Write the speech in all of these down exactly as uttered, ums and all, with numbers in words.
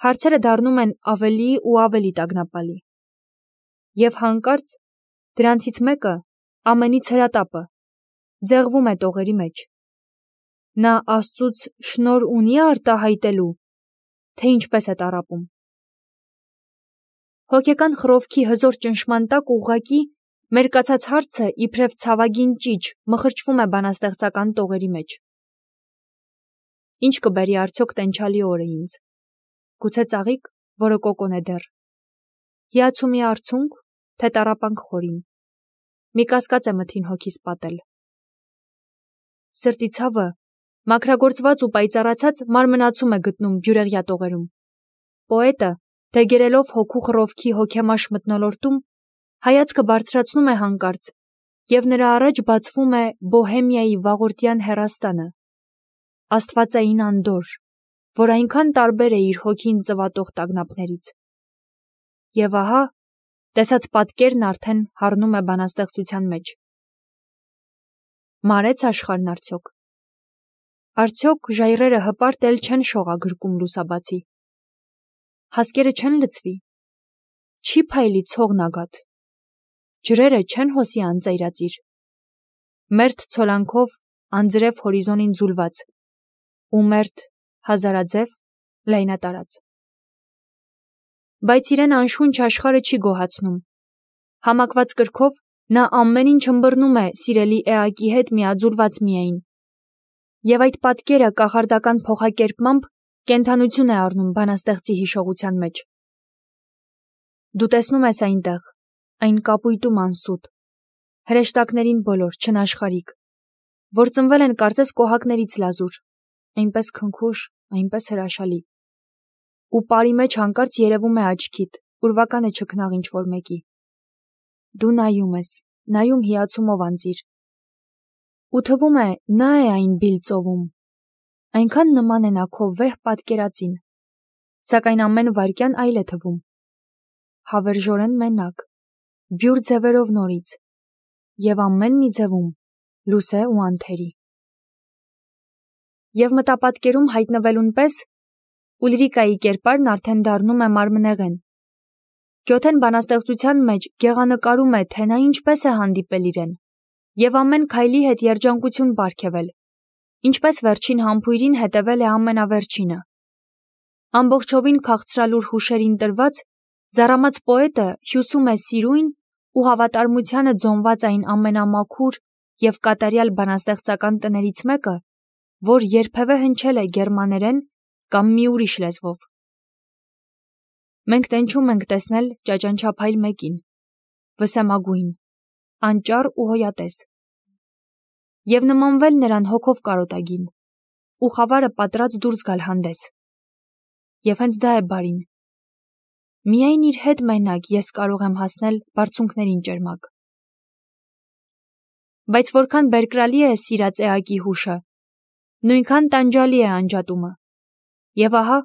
հարցերը դառնում են ավելի ու ավելի տագնապալի։ Եվ հանկարծ դրանցից մեկը, ամենից հրատապը, զեղվում է տողերի մեջ։ Նա Աստծուց շնոր ունի արտահայտելու, թե ինչպես է տառապում։ Հոգեկան խռովքի հզոր ճնշման տակ ուղղակի մերկացած հարցը իբրև ցավագին ճիչ մխրճվում է բանաստեղծական տողերի մեջ։ Ինչ կբերի արդյոք տենչալի օրը ինձ։ Գուցե ծաղիկ, որը կոկոն է դեռ։ Հիացումի արցունք, թե տառապանք խորին։ Մի կասկած է մթին հոգիս պատել։ Սրտի ցավը, մաքրագործված ու պայծառացած, մարմնացում է գտնում բյուրեղյա տողերում։ Պոետը, դեգերելով հոգու խռովքի հոգեմաշ մթնոլորտում, հայացքը բարձրացնում է հանկարծ, և նրա առաջ բացվում է Բոհեմիայի վաղորդյան հեռաստանը, աստվածային անդորր, որ այնքան տարբեր է իր հոգին ծվատող տագնապներից։ Եվ ահա, տեսած պատկերն արդեն հառնում է բանաստեղծության մեջ։ Մարեց աշխարհն արդյոք։ Արդյոք ժայռերը հպարտ էլ չեն շողագրկում լուսաբացի։ Հասկերը չեն լցվի։ Չի փայլի ցողն ագաթ։ Ջրերը չեն հոսի անծայրածիր։ Մերթ ցոլանքով անձրև հորիզոնին ձուլված, ու մերթ հազարաձև լայնատարած։ Բայց իրեն անշունչ աշխարհը չի գոհացնում։ Համակված կրքով նա ամեն ինչ ըմբռնում է սիրելի էակի հետ միաձուլված միայն։ Եվ այդ պատկերը կախարդական փոխակերպմամբ կենդանություն է առնում բանաստեղծի հիշողության մեջ։ Դու տեսնում ես այնտեղ, այն կապույտում անսուտ, հրեշտակներին բոլոր, չնաշխարհիկ, որ ծնվել են կարծես կոհակներից լազուր, այնպես քնքուշ, այնպես հրաշալի։ Ու պարի մեջ հանկարծ երևում է աչքիդ, ուրվական է չքնաղ ինչ-որ մեկի։ Դու նայում ես, նայում հիացումով անծիր։ Ու թվում է, նա է այն բիլ ծովում։ Այնքան նման է նա քո վեհ պատկերածին, սակայն ամեն վայրկյան այլ է թվում։ Հավերժորեն մենակ, բյուր ձևերով նորից, և ամեն մի ձևում լուսե ու անթերի։ Եվ մտապատկերում հայտնվելուն պես, Ուլրիկայի կերպարն արդեն դառնում է մարմնեղեն։ Գյոթեն բանաստեղծության մեջ գեղանկարում է, թե նա ինչպես է հանդիպել իրեն, և ամեն քայլի հետ երջանկություն պարգևել, ինչպես վերջին համբույրին հետևել է ամենավերջինը։ Ամբողջովին քաղցրալուր հուշերին տրված, զառամած պոետը հյուսում է սիրույն ու հավատարմությանը ձոնված այն ամենամաքուր և կատարյալ բանաստեղծական տներից մեկը, որ երբևէ հնչել է գերմաներեն կամ մի ուրիշ լեզվով։ Մենք տենչում ենք տեսնել ճաճանչափայլ մեկին, վսեմագույն, անճառ ու հոյատես, և նմանվել նրան հոգով կարոտագին, ու խավարը պատրած դուրս գալ հանդես։ Եվ հենց դա է բարին։ Միայն իր հետ մենակ ես կարող եմ հասնել բարձունքներին ճերմակ։ Բայց որքան բերկրալի է սիրած էակի հուշը, նույնքան տանջալի է անջատումը։ Եվ ահա,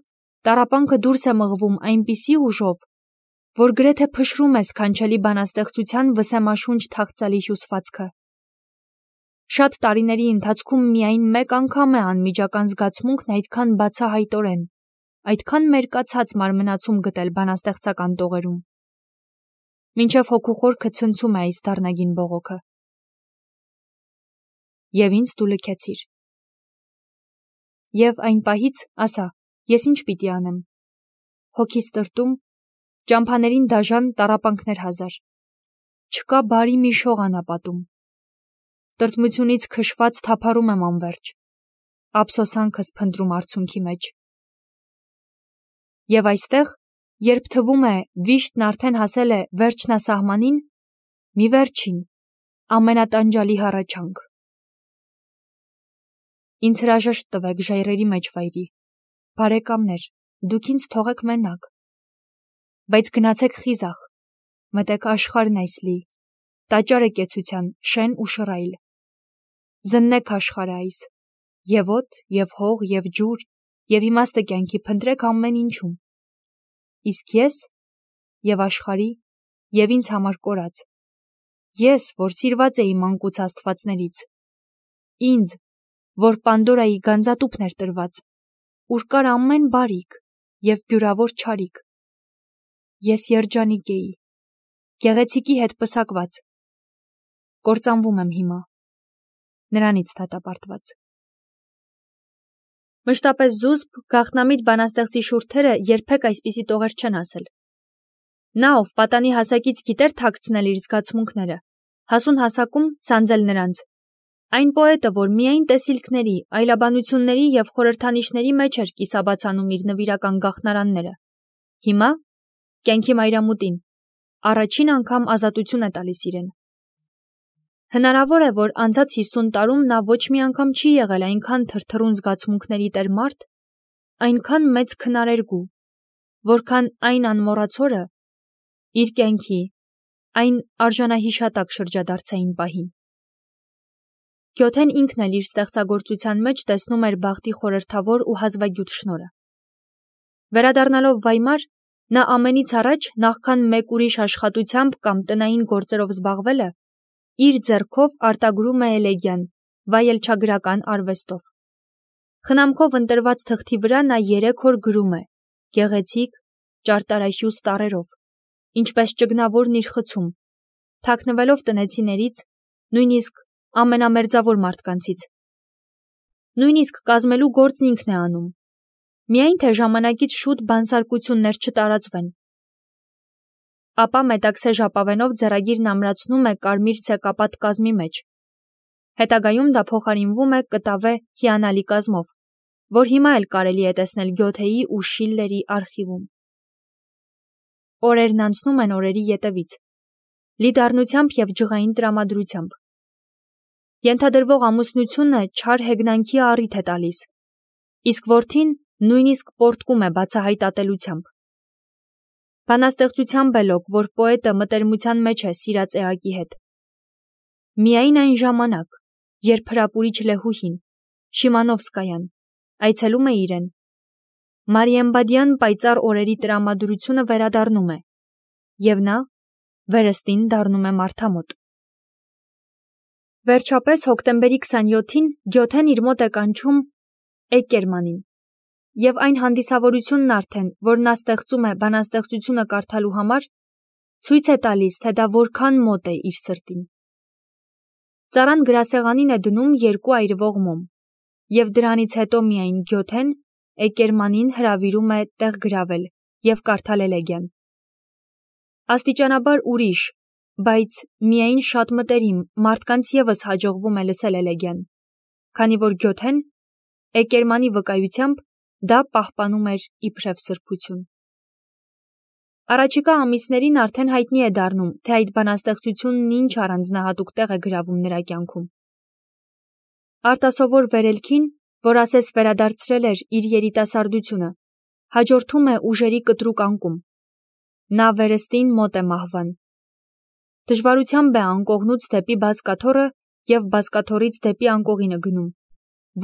տառապանքը դուրս է մղվում այնպիսի ուժով, որ գրեթե փշրում է սքանչելի բանաստեղծության վսեմաշունչ թախծալի հյուսվածքը։ Շատ տարիների ընթացքում միայն մեկ անգամ է անմիջական զգացմունքն այդքան բացահայտորեն, այդքան մերկացած մարմնացում գտել բանաստեղծական տողերում։ Մինչև հոգու խորքը ցնցում է այս դառնագին բողոքը։ Եվ ինձ դու լքեցիր։ Եվ այն պահից, ասա, ես ինչ պիտի անեմ։ Հոգիս տրտում, ճամփաներին դաժան տառապանքներ հազար։ Չկա բարի մի շող անապատում։ Տրտմությունից քշված թափառում եմ անվերջ, ափսոսանքս փնտրում արցունքի մեջ։ Եվ այստեղ, երբ թվում է վիշտն արդեն հասել է վերջնասահմանին, մի վերջին, ամենատանջալի հառաչանք. Ինձ հրաժեշտ տվեք ժայռերի մեջ վայրի, բարեկամներ, դուք ինձ թողեք մենակ, բայց գնացեք խիզախ, մտեք աշխարհն այս լի, տաճարը կեցության, շեն ու շռայլ, զննեք աշխարհը այս, և օդ, և հող, և ջուր, և իմաստը կյանքի փնտրեք ամեն ինչում, իսկ ես, և աշխարհի, և ինձ համար կորած, ես, որ սիրված էի մանկուց աստվածներից, ինձ, որ Պանդորայի գանձատուփն էր տրված, ուր կար ամեն բարիք, և բյուրավոր չարիք։ Ես երջանիկ էի, գեղեցիկի հետ պսակված, կործանվում եմ հիմա, նրանից դատապարտված։ Մշտապես զուսպ, գաղտնամիտ բանաստեղծի շուրթերը երբեք այսպիսի տողեր չեն ասել։ Նա, ով պատանի հասակից գիտեր թաքցնել իր զգացմունքները, հասուն հասակում սանձել նրանց։ Այն պոետը, որ միայն տեսիլքների, այլաբանությունների և խորհրդանիշների մեջ էր կիսաբացանում իր նվիրական գաղտնարանները, հիմա, կյանքի մայրամուտին, առաջին անգամ ազատություն է տալիս իրեն։ Հնարավոր է, որ անցած հիսուն տարում նա ոչ մի անգամ չի եղել այնքան թրթռուն զգացմունքների տեր մարդ, այնքան մեծ քնարերգու, որքան այն անմոռաց օրը իր կյանքի այն արժանահիշատակ շրջադարձային պահին։ Գյոթեն ինքն էլ իր ստեղծագործության մեջ տեսնում էր բախտի խորհրդավոր ու հազվագյուտ շնորհը։ Վերադառնալով Վայմար, նա ամենից առաջ, նախքան մեկ ուրիշ աշխատությամբ կամ տնային գործերով զբաղվելը, իր ձեռքով արտագրում է էլեգիան, վայելչագրական արվեստով։ Խնամքով ընտրված թղթի վրա նա երեք օր գրում է, գեղեցիկ, ճարտարահյուս տառերով, ինչպես ճգնավորն իր խցում, թաքնվելով տնեցիներից, նույնիսկ ամենամերձավոր մարդկանցից։ Նույնիսկ կազմելու գործն ինքն է անում, միայն թե ժամանակից շուտ բանսարկություններ չտարածվեն։ Ապա մետաքսե ժապավենով ձեռագիրն ամրացնում է կարմիր ցեկապատ կազմի մեջ։ Հետագայում դա փոխարինվում է կտավե հիանալի կազմով, որ հիմա էլ կարելի է տեսնել Գյոթեի ու Շիլլերի արխիվում։ Օրերն անցնում են օրերի ետևից, լի դառնությամբ և ջղային տրամադրությամբ։ Ենթադրվող ամուսնությունը չար հեգնանքի առիթ է տալիս, իսկ որդին նույնիսկ պոռթկում է բացահայտ ատելությամբ։ Բանաստեղծությամբ է լոկ, որ պոետը մտերմության մեջ է սիրած էակի հետ։ Միայն այն ժամանակ, երբ հրապուրիչ լեհուհին, Շիմանովսկայան, այցելում է իրեն, Մարիամբադյան պայծառ օրերի տրամադրությունը վերադառնում է, և նա վերստին դառնում է մարդամոտ։ Վերջապես հոկտեմբերի քսանյոթին Գյոթեն իր մոտ է կանչում Էկերմանին, և այն հանդիսավորությունն արդեն, որ նա ստեղծում է բանաստեղծությունը կարդալու համար, ցույց է տալիս, թե դա որքան մոտ է իր սրտին։ Ծառան գրասեղանին է դնում երկու այրվող մոմ, և դրանից հետո միայն Գյոթեն Էկերմանին հրավիրում է տեղ գրավել և կարդալ էլեգիան։ Աստիճանաբար ուրիշ, բայց միայն շատ մտերիմ մարդկանց ևս հաջողվում է լսել էլեգիան, քանի որ Գյոթեն, Էկերմանի վկայությամբ, դա պահպանում էր իբրև սրբություն։ Առաջիկա ամիսներին արդեն հայտնի է դառնում, թե այդ բանաստեղծությունն ինչ առանձնահատուկ տեղ է գրավում նրա կյանքում։ Արտասովոր վերելքին, որ ասես վերադարձրել էր իր երիտասարդությունը, հաջորդում է ուժերի կտրուկ անկում։ Նա վերստին մոտ է մահվան։ Դժվարությամբ է անկողնուց դեպի բազկաթոռը և բազկաթոռից դեպի անկողինը գնում,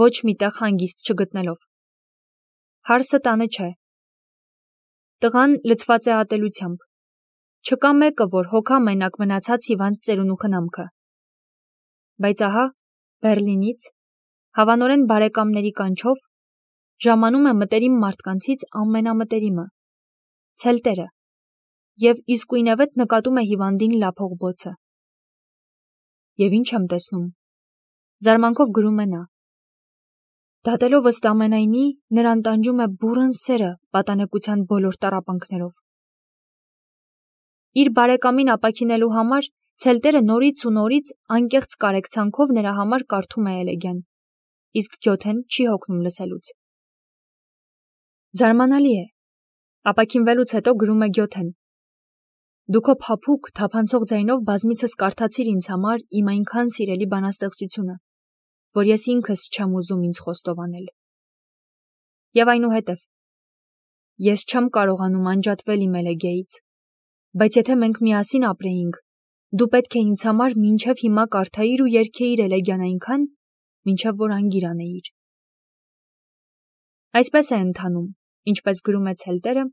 ոչ մի տեղ հանգիստ չգտնելով։ Հարսը տանը չէ։ Տղան լցված է ատելությամբ։ Չկա մեկը, որ հոգա մենակ մնացած հիվանդ ծերունու խնամքը։ Բայց ահա, Բեռլինից, հավանորեն բարեկամների կանչով, ժամանում է մտերիմ մարդկանցից ամենամտերիմը՝ ցելտերը, և իսկույնևեթ նկատում է հիվանդին լափող բոցը։ Եվ ինչ եմ տեսնում, զարմանքով գրում է նա։ Դատելով ըստ ամենայնի, նրան տանջում է բուռն սերը պատանեկության բոլոր տառապանքներով։ Իր բարեկամին ապաքինելու համար ցելտերը նորից ու նորից անկեղծ կարեկցանքով նրա համար կարդում է էլեգիան, իսկ Գյոթեն չի հոգնում լսելուց։ Զարմանալի է, ապաքինվելուց հետո գրում է Գյոթեն. «Դու քո փափուկ, թափանցող ձայնով բազմիցս կարդացիր ինձ համար իմ այնքան սիրելի բանաստեղծությունը, որ ես ինքս չեմ ուզում ինձ խոստովանել։ Եվ այնուհետև, ես չեմ կարողանում անջատվել իմ էլեգիայից, բայց եթե մենք միասին ապրեինք, դու պետք է ինձ համար մինչև հիմա կարդայիր ու երգեիր էլեգիան այնքան, մինչև որ անգիր անեիր»։ Այսպես է ընթանում, ինչպես գրում է ցելտերը,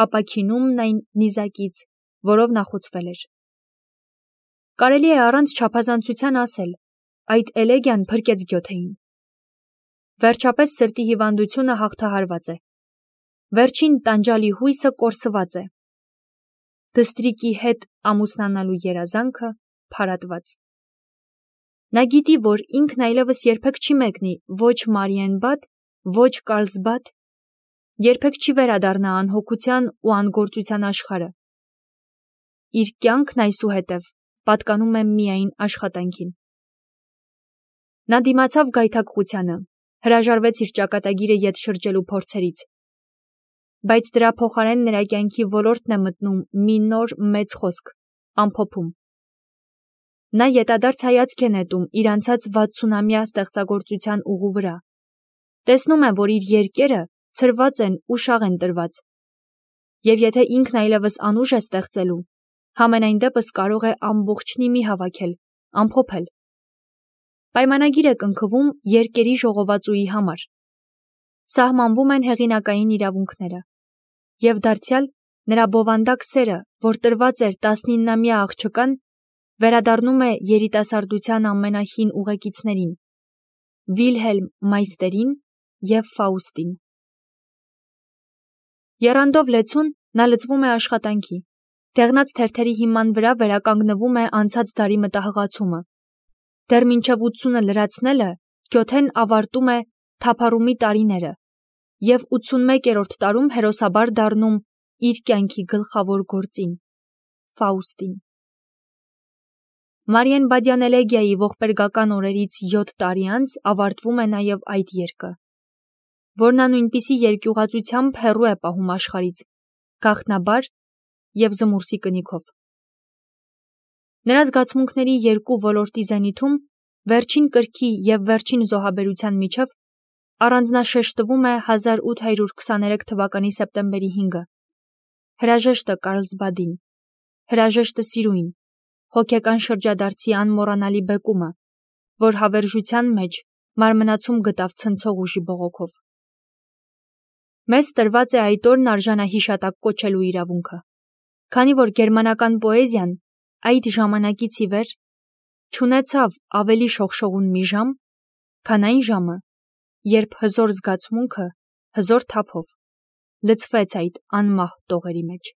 ապաքինումն այն նիզակից, որով նա խոցվել էր։ Կարելի է առանց չափազանցության ասել, այդ էլեգիան փրկեց Գյոթեին։ Վերջապես սրտի հիվանդությունը հաղթահարված է։ Վերջին տանջալի հույսը կորսված է։ Դստրիկի հետ ամուսնանալու երազանքը փարատված։ Նա գիտի, որ ինքն այլևս երբեք չի մեկնի ոչ Մարիենբադ, ոչ Կարլսբադ, երբեք չի վերադառնա անհոգության ու անգործության աշխարհը։ Իր կյանքն այսուհետև պատկանում է միայն աշխատանքին։ Նա դիմացավ գայթակղությանը, հրաժարվեց իր ճակատագիրը ետ շրջելու փորձերից, բայց դրա փոխարեն նրա կյանքի ոլորտն է մտնում մի նոր մեծ խոսք՝ ամփոփում։ Նա ետադարձ հայացք է նետում իր անցած վաթսունամյա ստեղծագործության ուղու վրա, տեսնում է, որ իր երկերը ցրված են ու շաղ են տրված, և եթե ինքն այլևս անուժ է ստեղծելու, համենայն դեպս կարող է ամբողջնի մի հավաքել, ամփոփել։ Պայմանագիր է կնքվում երկերի ժողովածուի համար։ Սահմանվում են հեղինակային իրավունքները, և դարձյալ նրա բովանդակ սերը, որ տրված էր տասնիննամյա աղջկան, վերադառնում է երիտասարդության ամենահին ուղեկիցներին՝ Վիլհելմ Մայստերին և Ֆաուստին։ Եռանդով լեցուն նա լծվում է աշխատանքի, դեղնած թերթերի հիման վրա վերականգնվում է անցած դարի մտահղացումը։ Դեռ մինչև ութսունը լրացնելը Գյոթեն ավարտում է թափառումի տարիները և ութսունմեկերորդ տարում հերոսաբար դառնում իր կյանքի գլխավոր գործին՝ Ֆաուստին։ Մարիենբադյան էլեգիայի ողբերգական օրերից յոթ տարի անց ավարտվում է նաև այդ երգը, որ նա նույնպիսի երկյուղածությամբ հեռու է պահում աշխարհից, գաղտնաբար և զմուրսի կնիքով։ Նրա զգացմունքների երկու ոլորտի զենիթում, վերջին կրքի և վերջին զոհաբերության միջև, առանձնաշեշտվում է հազար ութ հարյուր քսաներեք թվականի սեպտեմբերի հինգը, հրաժեշտը Կարլսբադին, հրաժեշտը սիրուին, հոգեկան շրջադարձի անմոռանալի բեկումը, որ հավերժության մեջ մարմնացում գտավ ցնցող ուժի բողոքով։ Մեզ տրված է այդ օրն արժանահիշատակ կոչելու իրավունքը, քանի որ գերմանական պոեզիան այդ ժամանակից ի վեր չունեցավ ավելի շողշողուն մի ժամ, քան այն ժամը, երբ հզոր զգացմունքը հզոր թափով լցվեց այդ անմահ տողերի մեջ։